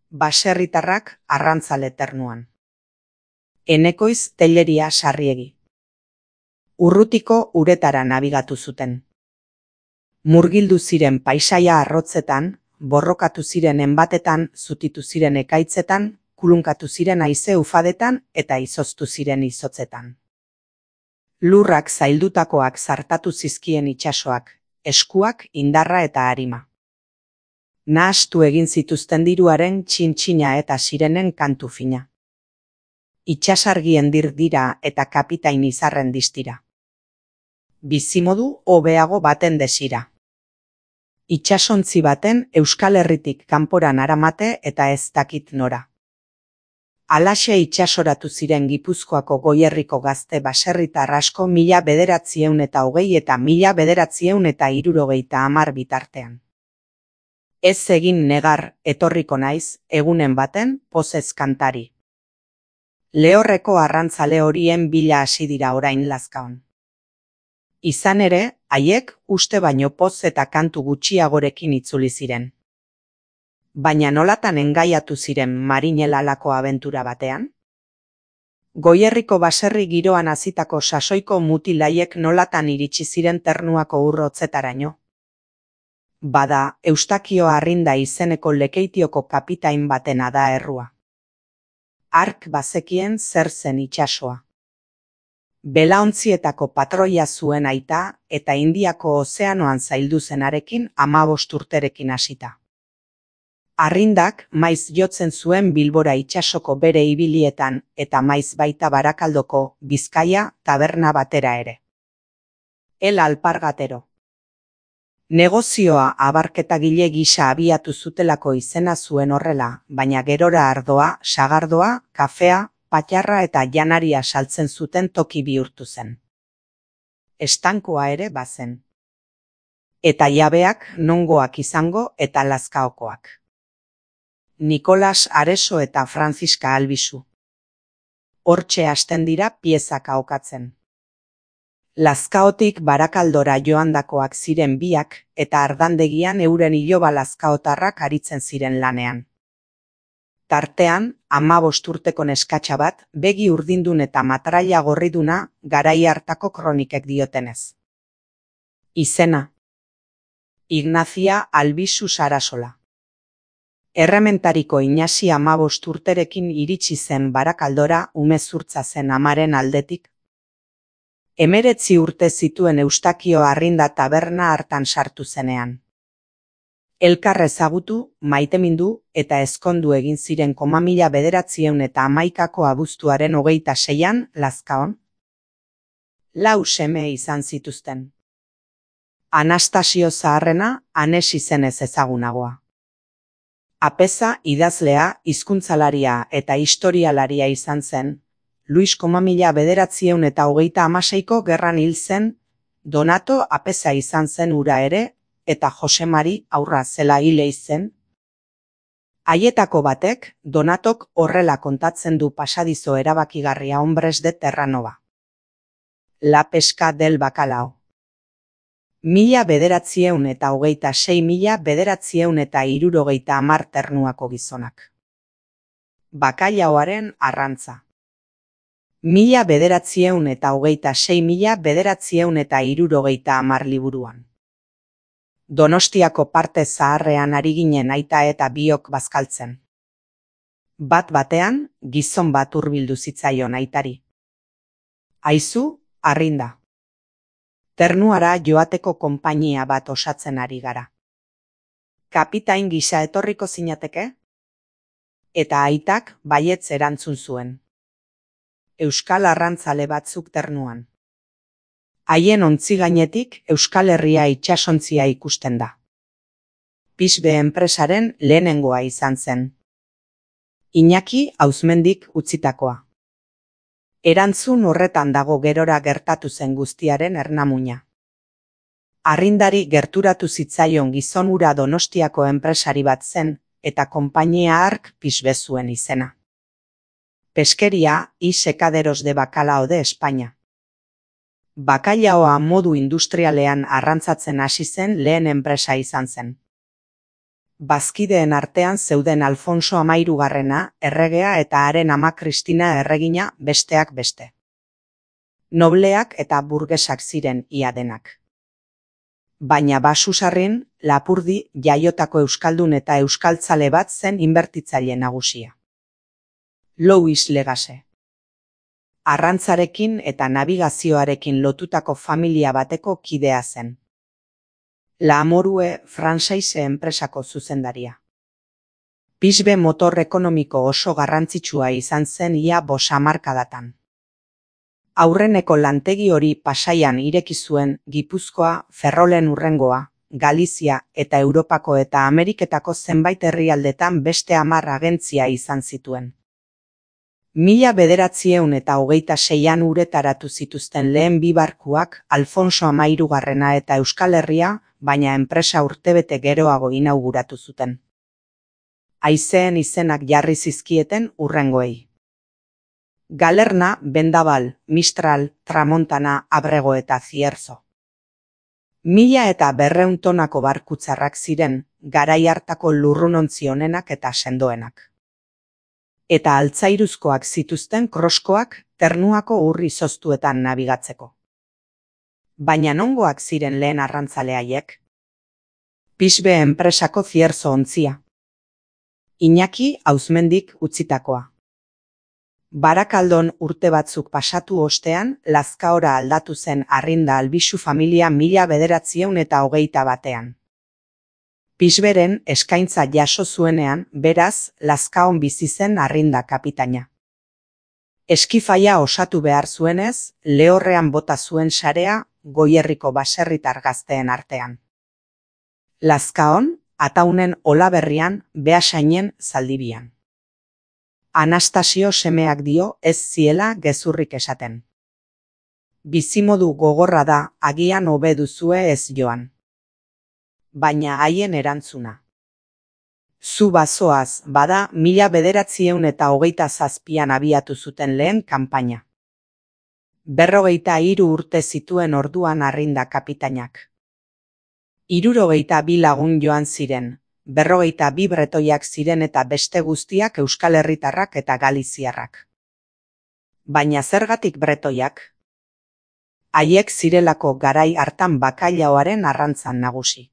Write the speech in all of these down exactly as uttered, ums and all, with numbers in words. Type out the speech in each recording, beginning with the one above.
baserritarrak arrantzale ternuan. Enekoiz Telleria Sarriegi. Urrutiko uretara nabigatu zuten. Murgildu ziren paisaia arrotzetan, borrokatu ziren enbatetan, zutitu ziren ekaitzetan, kulunkatu ziren haize ufadetan eta izoztu ziren izotzetan. Lurrak zaildutakoak zartatu zizkien itsasoak, eskuak, indarra eta arima. Nahastu egin zituzten diruaren txintxina eta sirenen kantu fina. Itsasargien dir dira eta kapitain izarren distira. Bizimodu hobeago baten desira. Itsasontzi baten Euskal Herritik kanporan aramate eta ez dakit nora. Alaxe itsasoratu ziren Gipuzkoako Goierriko gazte baserritar asko mila bederatzieun eta hogei eta mila bederatzieun eta hirurogeita hamar bitartean. Ez egin negar, etorriko naiz, egunen baten, pozez kantari. Lehorreko arrantzale horien bila hasi dira orain Lazkaon. Izan ere, haiek uste baino poz eta kantu gutxiagorekin itzuli ziren. Baina nolatan engaiatu ziren Marinelalako abentura batean? Goierriko baserri giroan hazitako sasoiko mutilaiek nolatan iritsi ziren Ternuako urrotzetaraino? Bada, Eustakio Arrinda izeneko Lekeitioko kapitain batena da errua. Hark bazekien zer zen itsasoa. Belaontzietako patroia zuen aita eta Indiako ozeanoan zaildu zenarekin hamabost urterekin hasita. Arrindak maiz jotzen zuen Bilbora itsasoko bere ibilietan eta maiz baita Barakaldoko, Bizkaia, taberna batera ere. El alpargatero. Negozioa abarketagile gisa abiatu zutelako izena zuen horrela, baina gerora ardoa, sagardoa, kafea, patxarra eta janaria saltzen zuten toki bihurtu zen. Estankoa ere bazen. Eta jabeak nongoak izango eta Lazkaokoak. Nikolas Areso eta Franziska Albizu. Hortxe hasten dira piezak ahokatzen. Lazkaotik Barakaldora joandakoak ziren biak eta ardandegian euren iloba lazkaotarrak aritzen ziren lanean. Tartean, hamabost urteko neskatxa bat, begi urdindun eta matraila gorriduna garai hartako kronikek diotenez. Izena. Ignazia Albizu Sarasola. Errementariko Inasi hamabost urterekin iritsi zen Barakaldora umezurtza zen amaren aldetik. Hemeretzi urte zituen Eustakio Arrinda taberna hartan sartu zenean. Elkar ezagutu, maitemindu eta ezkondu egin ziren koma mila bederatzieun eta hamaikako abuztuaren hogeita seian Lazkaon. Lau seme izan zituzten. Anastasio Zaharrena Anes izenez ezagunagoa. Apeza idazlea, hizkuntzalaria eta historialaria izan zen. Luis koma mila bederatzieun eta hogeita hamaseiko gerran hil zen, Donato Apeza izan zen ura ere, eta Jose Mari aurra zela hile zen. Haietako batek, Donatok horrela kontatzen du pasadizo erabakigarria Hombres de Terranova. La pesca del bacalao. Mila bederatzieun eta hogeita sei mila bederatzieun eta hirurogeita hamar Ternuako gizonak. Bakailaoaren arrantza. Mila bederatzieun eta hogeita sei mila bederatzieun eta hirurogeita hamar liburuan. Donostiako parte zaharrean ari ginen aita eta biok bazkaltzen. Bat batean, gizon bat hurbildu zitzaion aitari. Aizu, Arrinda. Ternuara joateko konpainia bat osatzen ari gara. Kapitain gisa etorriko zinateke? Eta aitak baietz erantzun zuen. Euskal arrantzale batzuk Ternuan. Haien ontzi gainetik Euskal Herria itsasontzia ikusten da. Pisbe enpresaren lehenengoa izan zen. Iñaki Auzmendik utzitakoa. Erantzun horretan dago gerora gertatu zen guztiaren ernamuina. Arrindari gerturatu zitzaion gizon hura Donostiako enpresari bat zen, eta konpainia hark pisbe zuen izena. Peskeria y secaderos de bacalao de España. Bakailaoa modu industrialean arrantzatzen hasi zen lehen enpresa izan zen. Bazkideen artean zeuden Alfonso Hamahirugarrena erregea eta haren ama Kristina erregina besteak beste. Nobleak eta burgesak ziren ia denak. Baina Basusarrin, Lapurdi jaiotako euskaldun eta euskaltzale bat zen inbertitzaile nagusia. Louis Legase. Arrantzarekin eta nabigazioarekin lotutako familia bateko kidea zen. La Amorue Franchise enpresako zuzendaria. Pisbe motor ekonomiko oso garrantzitsua izan zen ia bost hamarkadatan. Aurreneko lantegi hori Pasaian ireki zuen Gipuzkoa, Ferrolen hurrengoa, Galizia eta Europako eta Ameriketako zenbait herrialdetan beste hamar agentzia izan zituen. Mila bederatziehun eta hogeita seian uretaratu zituzten lehen bi barkuak Alfonso Hamahirugarrena eta Euskal Herria, baina enpresa urtebete geroago inauguratu zuten. Haizeen izenak jarri zizkieten hurrengoei. Galerna, Bendabal, Mistral, Tramontana, Abrego eta Zierzo. Mila eta berrehun tonako barkutzarrak ziren, garai hartako lurrunontzi onenak eta sendoenak. Eta altzairuzkoak zituzten kroskoak Ternuako ur izoztuetan nabigatzeko. Baina nongoak ziren lehen arrantzale haiek? Pisbe enpresako Zierzo ontzia. Iñaki Auzmendik utzitakoa. Barakaldon urte batzuk pasatu ostean, Lazkaora aldatu zen Arrinda Albisu familia mila bederatziehun eta hogeita batean. Pisberen eskaintza jaso zuenean, beraz, Lazkaon bizi zen Arrinda kapitaina. Eskifaia osatu behar zuenez, lehorrean bota zuen sarea Goierriko baserritar gazteen artean. Lazkaon, Ataunen Olaberrian, Beasainen Zaldibian. Anastasio semeak dio ez ziela gezurrik esaten. Bizimodu gogorra da, agian hobe duzue ez joan. Baina haien erantzuna. Zu bazoaz, bada mila bederatziehun eta hogeita zazpian abiatu zuten lehen kanpaina. Berrogeita hiru urte zituen orduan Arrinda kapitainak. Hirurogeita bi lagun joan ziren, berrogeita bi bretoiak ziren eta beste guztiak Euskal Herritarrak eta Galiziarrak. Baina zergatik bretoiak? Haiek zirelako garai hartan bakailaoaren arrantzan nagusi.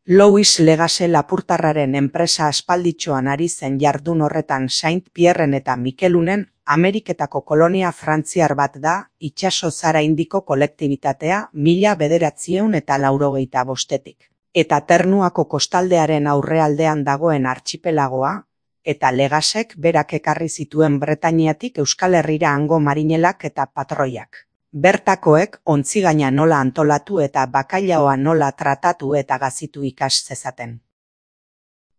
Louis Legase Lapurtarraren enpresa aspalditxoan ari zen jardun horretan Saint Pierren eta Mikelunen Ameriketako kolonia frantziar bat da, itsaso zara indiko kolektibitatea mila bederatziehun eta laurogeita bostetik. Eta Ternuako kostaldearen aurrealdean dagoen artxipelagoa, eta Legasek berak ekarri zituen Bretainiatik Euskal Herrira hango marinelak eta patroiak. Bertakoek ontzigaina nola antolatu eta bakailaoa nola tratatu eta gazitu ikas zezaten.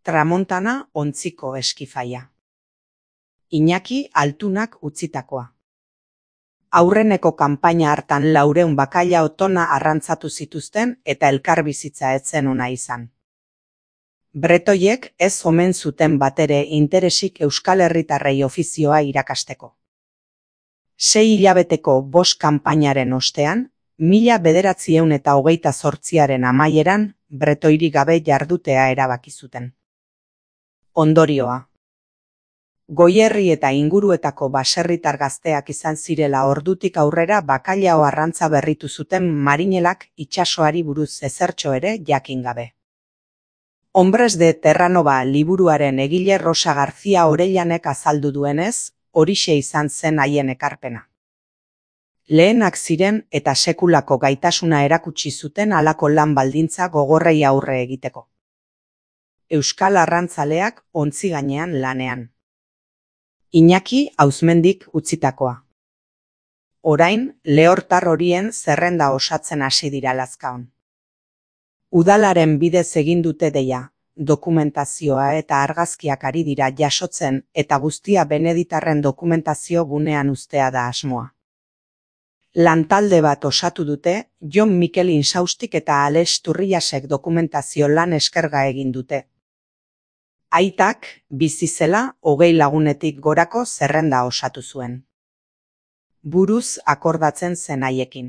Tramontana ontziko eskifaia. Iñaki Altunak utzitakoa. Aurreneko kanpaina hartan laureun bakailao tona arrantzatu zituzten eta elkarbizitza etzen ona izan. Bretoiek ez omen zuten batere interesik Euskal Herritarrei ofizioa irakasteko. Sei hilabeteko bost kanpainaren ostean, mila bederatziehun eta hogeita zortziaren amaieran, bretoirik gabe jardutea erabaki zuten. Ondorioa. Goierri eta inguruetako baserritar gazteak izan zirela ordutik aurrera bakailao arrantza berritu zuten marinelak itsasoari buruz ezertxo ere jakin gabe. Hombres de Terranova liburuaren egile Rosa García Orellanek azaldu duenez, horixe izan zen haien ekarpena. Lehenak ziren eta sekulako gaitasuna erakutsi zuten halako lan baldintza gogorrei aurre egiteko. Euskal arrantzaleak ontzi gainean lanean. Iñaki Auzmendik utzitakoa. Orain, lehortar horien zerrenda osatzen hasi dira Lazkaon. Udalaren bidez egin dute deia, dokumentazioa eta argazkiak ari dira jasotzen eta guztia Beneditarren dokumentazio gunean uztea da asmoa. Lantalde bat osatu dute, Jon Mikel Insaustik eta Alex Turriasek dokumentazio lan eskerga egin dute. Aitak, bizi zela, hogei lagunetik gorako zerrenda osatu zuen. Buruz akordatzen zen haiekin.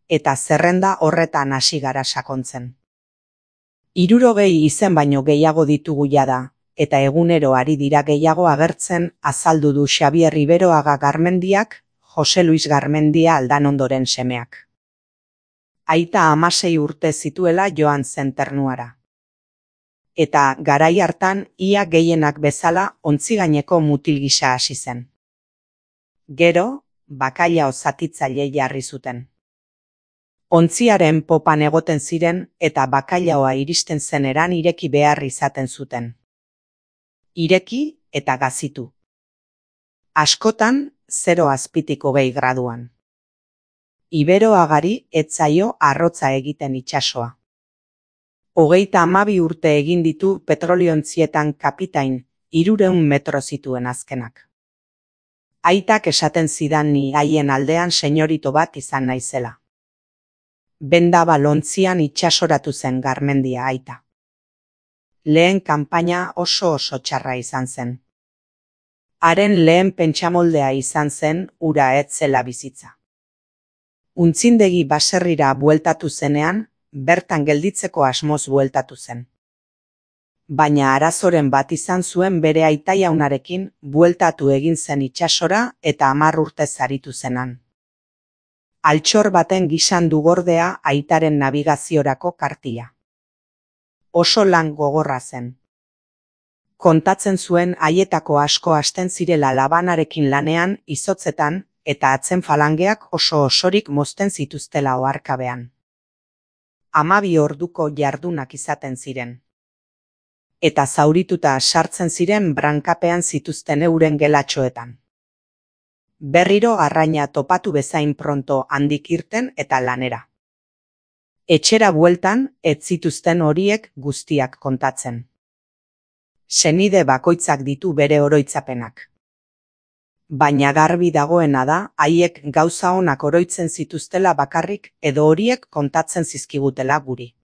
Eta zerrenda horretan hasi gara sakontzen. Hirurogei izen baino gehiago ditugu jada, eta egunero ari dira gehiago agertzen, azaldu du Xabier Riberoaga Garmendiak, Jose Luis Garmendia Aldanondoren semeak. Aita hamasei urte zituela joan zen Ternuara. Eta garai hartan ia gehienak bezala ontzi gaineko mutil gisa hasi zen. Gero, bakailao zatitzaile jarri zuten. Ontziaren popan egoten ziren eta bakailaoa iristen zeneran ireki behar izaten zuten. Ireki eta gazitu. Askotan, zero azpitik hogei graduan. Iberoagari ez zaio arrotza egiten itsasoa. Hogeita hamabi urte egin ditu petroliontzietan kapitain, hirurehun metro zituen azkenak. Aitak esaten zidan ni haien aldean senyorito bat izan naizela. Benda balontzian itsasoratu zen Garmendia aita. Lehen kanpaina oso oso txarra izan zen. Haren lehen pentsamoldea izan zen ura ez zela bizitza. Untzindegi baserrira bueltatu zenean, bertan gelditzeko asmoz bueltatu zen. Baina arazoren bat izan zuen bere aitaiaunarekin bueltatu egin zen itsasora eta hamar urte zaritu zenan. Altxor baten gisan du gordea aitaren nabigaziorako kartila. Oso lan gogorra zen. Kontatzen zuen haietako asko hasten zirela labanarekin lanean izotzetan eta atzen falangeak oso osorik mozten zituztela oharkabean. Hamabi orduko jardunak izaten ziren. Eta zaurituta sartzen ziren brankapean zituzten euren gelatxoetan. Berriro arraina topatu bezain pronto handik irten eta lanera. Etxera bueltan ez zituzten horiek guztiak kontatzen. Senide bakoitzak ditu bere oroitzapenak. Baina garbi dagoena da, haiek gauza onak oroitzen zituztela bakarrik edo horiek kontatzen zizkigutela guri.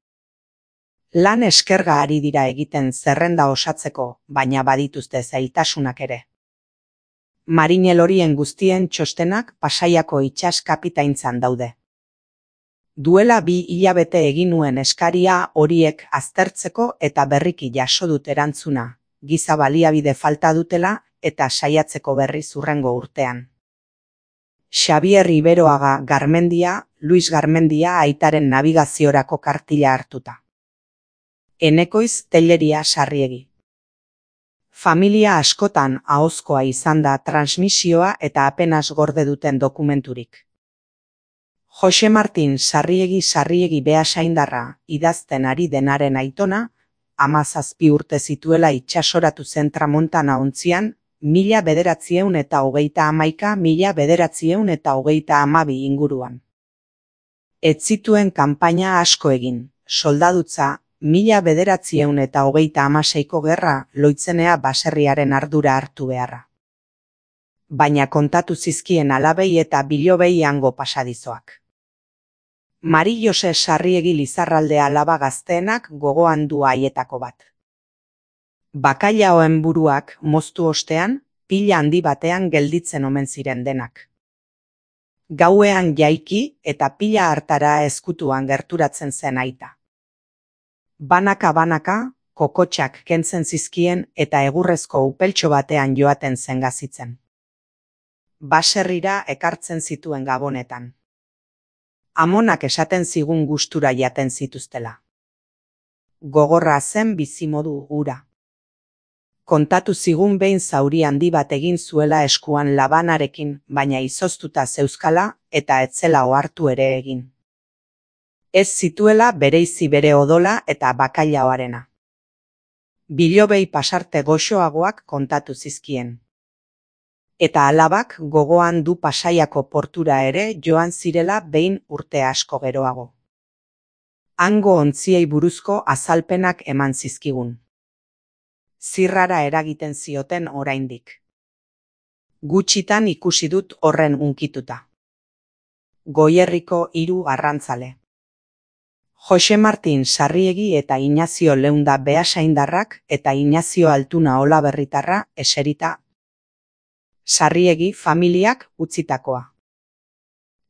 Lan eskerga ari dira egiten zerrenda osatzeko, baina badituzte zailtasunak ere. Marinel horien guztien txostenak Pasaiako itsas kapitaintzan daude. Duela bi hilabete egin nuen eskaria horiek aztertzeko eta berriki jaso dut erantzuna, giza baliabide falta dutela eta saiatzeko berriz hurrengo urtean. Xabier Riberoaga Garmendia, Luis Garmendia aitaren nabigaziorako kartila hartuta. Enekoiz Telleria Sarriegi. Familia askotan ahozkoa izan da transmisioa eta apenas gorde duten dokumenturik. Jose Martin Sarriegi Sarriegi Beasaindarra idazten ari denaren aitona, hamazazpi urte zituela itsasoratu zen Tramontana ontzian, mila bederatziehun eta hogeita hamaika mila bederatziehun eta hogeita hamabi inguruan. Ez zituen kanpaina asko egin, soldadutza, mila bederatziehun eta hogeita hamaseiko gerra loitzenea baserriaren ardura hartu beharra. Baina kontatu zizkien alabei eta bilobei hango pasadizoak. Mari Jose Sarriegi Lizarralde alaba gazteenak gogoan du haietako bat. Bakailaoen buruak moztu ostean, pila handi batean gelditzen omen ziren denak. Gauean jaiki eta pila hartara ezkutuan gerturatzen zen aita. Banaka-banaka, kokotxak kentzen zizkien eta egurrezko upeltxo batean joaten zen gazitzen. Baserrira ekartzen zituen gabonetan. Amonak esaten zigun gustura jaten zituztela. Gogorra zen bizimodu hura. Kontatu zigun behin zauri handi bat egin zuela eskuan labanarekin, baina izoztuta zeuzkala eta etzela ohartu ere egin. Ez zituela bereizi bere odola eta bakailaoarena. Bilobei pasarte goxoagoak kontatu zizkien. Eta alabak gogoan du Pasaiako portura ere joan zirela behin urte asko geroago. Hango ontziei buruzko azalpenak eman zizkigun. Zirrara eragiten zioten oraindik. Gutxitan ikusi dut horren unkituta. Goierriko hiru arrantzale. Jose Martin Sarriegi eta Inazio Leunda Beasaindarrak eta Inazio Altuna Olaberritarra eserita. Sarriegi familiak utzitakoa.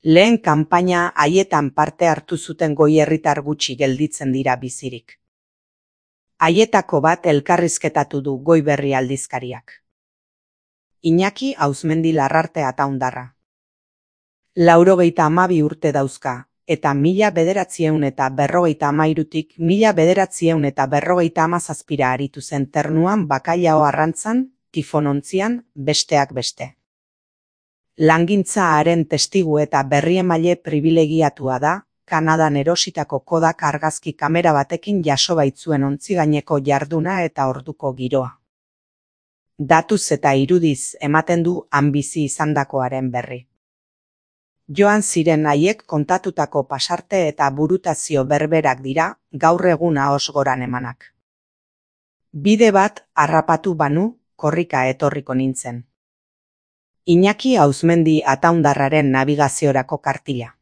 Lehen kanpaina haietan parte hartu zuten goierritar gutxi gelditzen dira bizirik. Haietako bat elkarrizketatu du Goiberri aldizkariak. Iñaki Auzmendi Larrarte Ataundarra. Laurogeita hamabi urte dauzka, eta mila bederatziehun eta berrogeita hamairutik mila bederatziehun eta berrogeita hamazazpira aritu zen Ternuan bakailao arrantzan, tifonontzian, besteak beste. Langintza haren testigu eta berriemaile pribilegiatua da, Kanadan erositako Kodak argazki kamera batekin jaso baitzuen ontzigaineko jarduna eta orduko giroa. Datuz eta irudiz ematen du han bizi izandakoaren berri. Joan ziren haiek kontatutako pasarte eta burutazio berberak dira gaur egun ahoz goran emanak. Bide bat harrapatu banu, korrika etorriko nintzen. Iñaki Auzmendi Ataundarraren nabigaziorako kartila.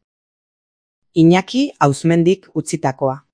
Iñaki Auzmendik utzitakoa.